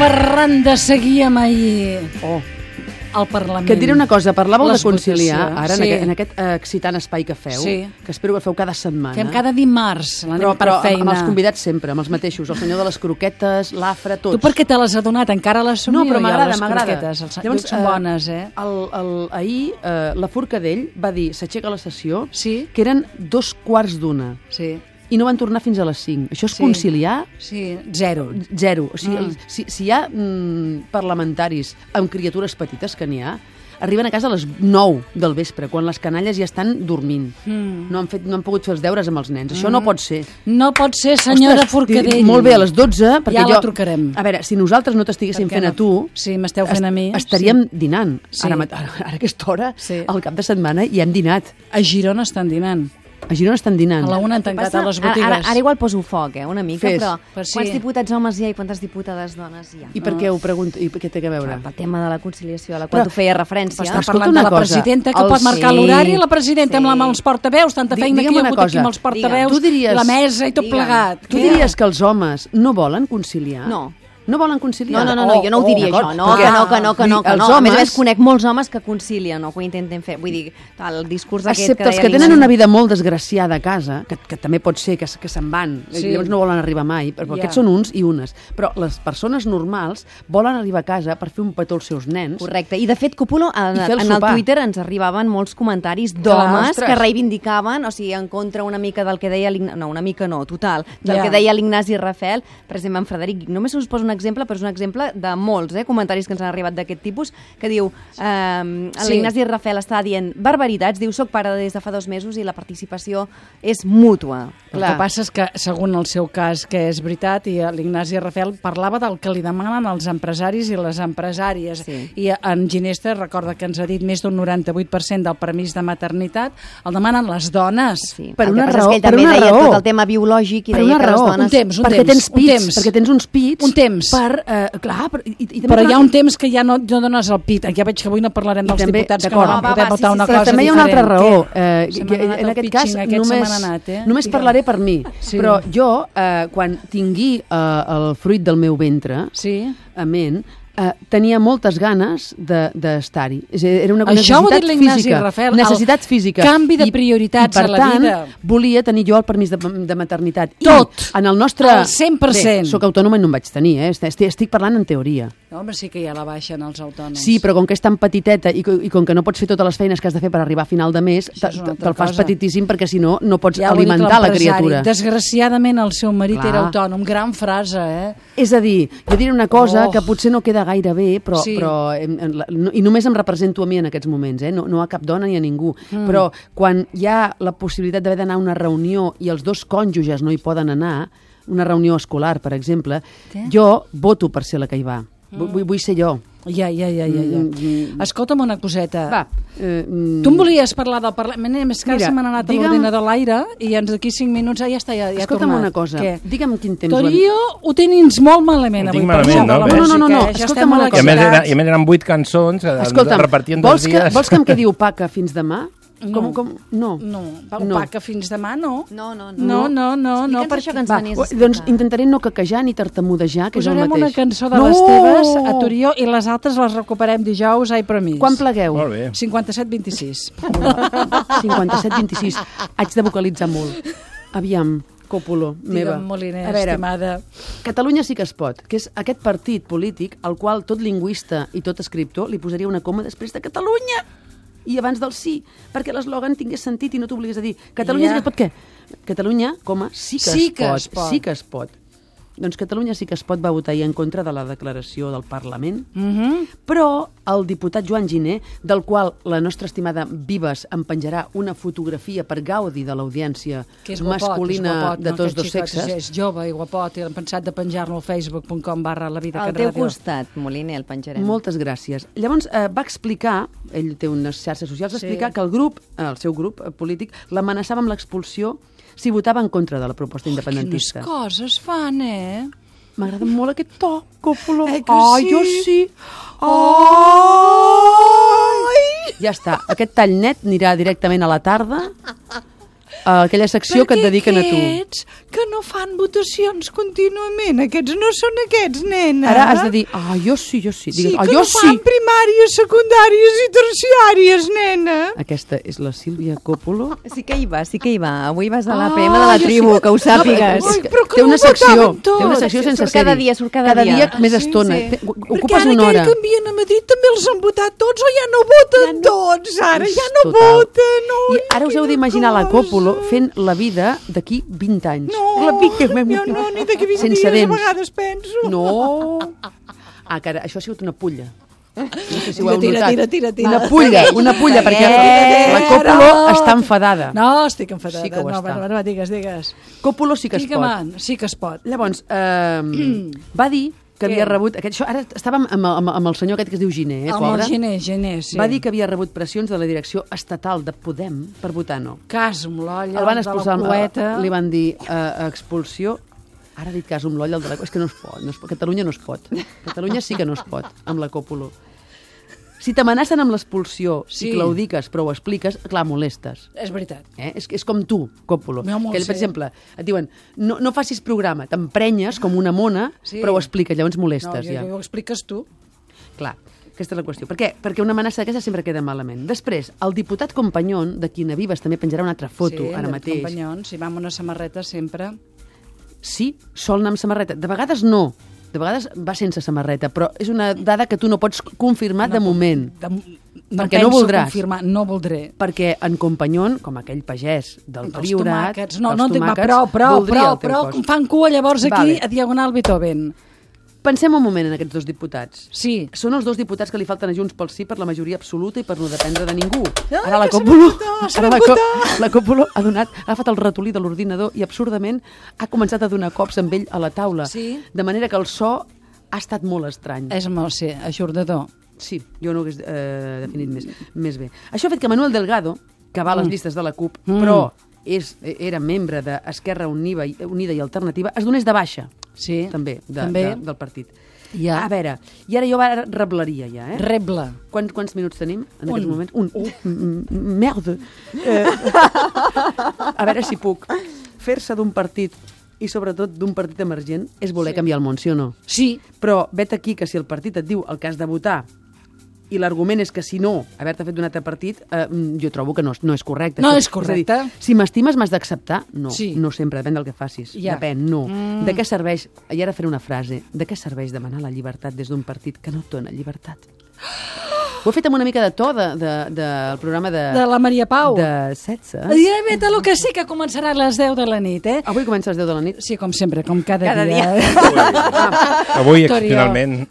Parlant de seguir amb ahir al Parlament. Que et diré una cosa, parlàveu de conciliar ara sí. en aquest excitant espai que feu, que espero que feu cada setmana. Fem cada dimarts, l'anem per feina. Amb els convidats sempre, amb els mateixos, el senyor de les croquetes, l'Afra, tots. Tu per què te les has adonat? Encara les somio? No, però m'agrada. Llavors, són bones, Ahir la Forcadell va dir, s'aixeca la sessió, sí. que eren 2:15. Sí. I no van tornar fins a les 5. Això és conciliar? Sí, zero. O sigui, si hi ha parlamentaris amb criatures petites, que n'hi ha, arriben a casa a les 9 del vespre, quan les canalles ja estan dormint. No han pogut fer els deures amb els nens. Això no pot ser. No pot ser, senyora Forcadell. Molt bé, a les 12... Ja la trucarem. A veure, si nosaltres no t'estiguéssim fent a tu... Sí, m'esteu fent a mi. Estaríem dinant. Ara a aquesta hora, al cap de setmana, ja hem dinat. A Girona estan dinant. A Girona estan dinant. A la una han tancat a les botigues. Ara igual poso foc, una mica, però sí. Quants diputats homes hi ha i quantes diputades dones hi ha? I per què ho pregunto? I què té a veure? El tema de la conciliació, a la qual tu feia referència. Està parlant de la presidenta, que pot marcar l'horari, la presidenta amb els portaveus, tanta feina que hi ha hagut aquí amb els portaveus, la mesa i tot plegat. Tu diries que els homes no volen conciliar? No volen conciliar? No, jo no ho diria això. No. A més, conec molts homes que concilien o que ho intenten fer. Vull dir, el discurs aquest... Excepte els que tenen una vida molt desgraciada a casa, que també pot ser que se'n van, llavors no volen arribar mai, però aquests són uns i unes. Però les persones normals volen arribar a casa per fer un petó als seus nens. Correcte. I de fet, Copulo, en el Twitter ens arribaven molts comentaris d'homes que reivindicaven, o sigui, en contra una mica del que deia l'Ignasi... No, una mica no, total. Del que deia l'Ignasi Rafel, per exemple, en Frederic. Només us poso un exemple, però és un exemple de molts comentaris que ens han arribat d'aquest tipus, que diu l'Ignasi Rafel està dient barbaritats, diu, soc pare des de fa 2 mesos i la participació és mútua. El que passa és que, segons el seu cas, que és veritat, i l'Ignasi Rafel parlava del que li demanen els empresaris i les empresàries. I en Ginesta recorda que ens ha dit més d'un 98% del permís de maternitat el demanen les dones. Per una raó. Ell també deia tot el tema biològic i deia que les dones... Perquè tens pits, perquè tens uns pits. Un temps. Però hi ha un temps que ja no dones el pit. Ja veig que avui no parlarem dels diputats que no van poder votar una cosa diferent. També hi ha una altra raó. En aquest cas, només parlaré per mi. Però jo, quan tingui el fruit del meu ventre, amén, tenia moltes ganes d'estar-hi. Era una necessitat física. Canvi de prioritats a la vida. Per tant, volia tenir jo el permís de maternitat. Tot! En el nostre... Al 100%. Bé, soc autònoma i no en vaig tenir, estic parlant en teoria. No, home, sí que ja la baixen els autònoms. Sí, però com que és tan petiteta i com que no pots fer totes les feines que has de fer per arribar a final de mes, te'l fas petitíssim perquè si no, no pots alimentar la criatura. Desgraciadament el seu marit era autònom. Gran frase, És a dir, jo diré una cosa que potser no queda gaire bé, però i només em represento a mi en aquests moments, no a cap dona ni a ningú, però quan hi ha la possibilitat d'haver d'anar a una reunió i els 2 cònjuges no hi poden anar, una reunió escolar, per exemple, jo voto per ser la que hi va. Vull ser jo. Ja. Escolta'm una coseta. Va. Tu em volies parlar del Parlament, més que se m'han anat a l'ordinador a l'aire i d'aquí 5 minuts ja està, ja ha tornat. Escolta'm una cosa, digue'm quin temps... Torio, ho tens molt malament avui. No, escolta'm una cosa. I a més eren 8 cançons, repartien 2 dies. Vols que em quedi opaca fins demà? No. Opaca fins demà, no. No. Per això que ens venies... Doncs intentaré no caquejar ni tartamudejar, que és el mateix. Posarem una cançó de les teves a Torió i les altres les recuperem dijous a Ipromís. Quan plegueu? Molt bé. 57-26. 57-26. Haig de vocalitzar molt. Aviam. Còpolo, meva. Digue'm, Moliner, estimada. Catalunya sí que es pot, que és aquest partit polític al qual tot lingüista i tot escriptor li posaria una coma després de Catalunya i abans del sí, perquè l'eslògan tingués sentit i no t'obligués a dir Catalunya sí que es pot què? Catalunya, sí que es pot. Doncs Catalunya sí que es pot va votar en contra de la declaració del Parlament, però el diputat Joan Giner, del qual la nostra estimada Vives em penjarà una fotografia per gaudi de l'audiència masculina de tots 2 sexes. És jove i guapot, i hem pensat de penjar-lo al facebook.com/lavida. Al teu costat, Moliner, el penjarem. Moltes gràcies. Llavors va explicar, ell té unes xarxes socials, va explicar que el seu grup polític l'amenaçava amb l'expulsió si votava en contra de la proposta independentista. Quines coses fan, M'agrada molt aquest to, Còpolo. Jo sí. Ja està, aquest tall net anirà directament a la tarda a aquella secció que et dediquen a tu. Perquè que no fan votacions contínuament? Aquests no són aquests, nena. Ara has de dir, jo sí. Digues, sí, que jo no fan primàries, secundàries i terciàries, nena. Aquesta és la Sílvia Coppolo. Sí que hi va. Avui vas a la PM de la tribu, que ho sàpigues. Té una secció sense sèrie. Surt cada dia. Més estona. Ocupes una hora. Perquè ara que canvien a Madrid també els han votat tots o ja no voten tots, ara ja no voten. I ara us heu d'imaginar la Coppolo fent la vida d'aquí 20 anys. No, ni d'aquí 20 dies a vegades penso. No. Cara, això ha sigut una pulla. No sé si ho heu notat. Tira. Una pulla, perquè la Coppolo està enfadada. No, estic enfadada. Sí que ho està. No, digues. Coppolo sí que es pot. Sí que es pot. Llavors, va dir que havia rebut... Ara estàvem amb el senyor aquest que es diu Giner, pobre. El Giner, sí. Va dir que havia rebut pressions de la direcció estatal de Podem per votar no. Cas amb l'olla, el van expulsar, de la poeta... Li van dir expulsió. Ara ha dit cas amb l'olla, és que no es pot. Catalunya no es pot. Catalunya sí que no es pot, amb la Coppolo. Si t'amenacen amb l'expulsió i claudiques però ho expliques, clar, molestes. És veritat. És com tu, Coppolo. Per exemple, et diuen, no facis programa, t'emprenyes com una mona, però ho expliques, llavors molestes. No, ho expliques tu. Clar, aquesta és la qüestió. Per què? Perquè una amenaça d'aquesta sempre queda malament. Després, el diputat Companyón, de qui Vives també penjarà una altra foto ara mateix. Sí, Companyón, si va amb una samarreta sempre. Sí, sol anar amb samarreta. De vegades no. De vegades va sense samarreta, però és una dada que tu no pots confirmar de moment. Perquè no voldràs. No voldré. Perquè en Companyón, com aquell pagès del Priorat... No, però fan cua llavors aquí a Diagonal Beethoven. Pensem un moment en aquests dos diputats. Sí. Són els dos diputats que li falten a Junts pel Sí per la majoria absoluta i per no dependre de ningú. Ara la Coppolo ha agafat el ratolí de l'ordinador i absurdament ha començat a donar cops amb ell a la taula. Sí. De manera que el so ha estat molt estrany. És molt, sí, ajornador. Sí, jo no ho hagués definit més bé. Això ha fet que Manuel Delgado, que va a les llistes de la CUP, però era membre d'Esquerra Unida i Alternativa, es donés de baixa. Sí, també. Del partit. Ja. A veure, i ara jo reblaria ja, Rebla. Quants minuts tenim en aquests moments? Merda! A veure si puc. Fer-se d'un partit i sobretot d'un partit emergent és voler canviar el món, sí o no? Sí. Però vet aquí que si el partit et diu el que has de votar i l'argument és que si no, haver-te fet d'un altre partit, jo trobo que no és correcte. No és correcte. És a dir, si m'estimes m'has d'acceptar? No, sí. No sempre, depèn del que facis. Ja. Depèn, no. De què serveix, i ara faré una frase, de què serveix demanar la llibertat des d'un partit que no et dona llibertat? Ho he fet amb una mica de to del programa de la Maria Pau. De 16. Vet el que sí, que començarà a les 10 de la nit, Avui comença a les 10 de la nit? Sí, com sempre, com cada dia. Avui, excepcionalment.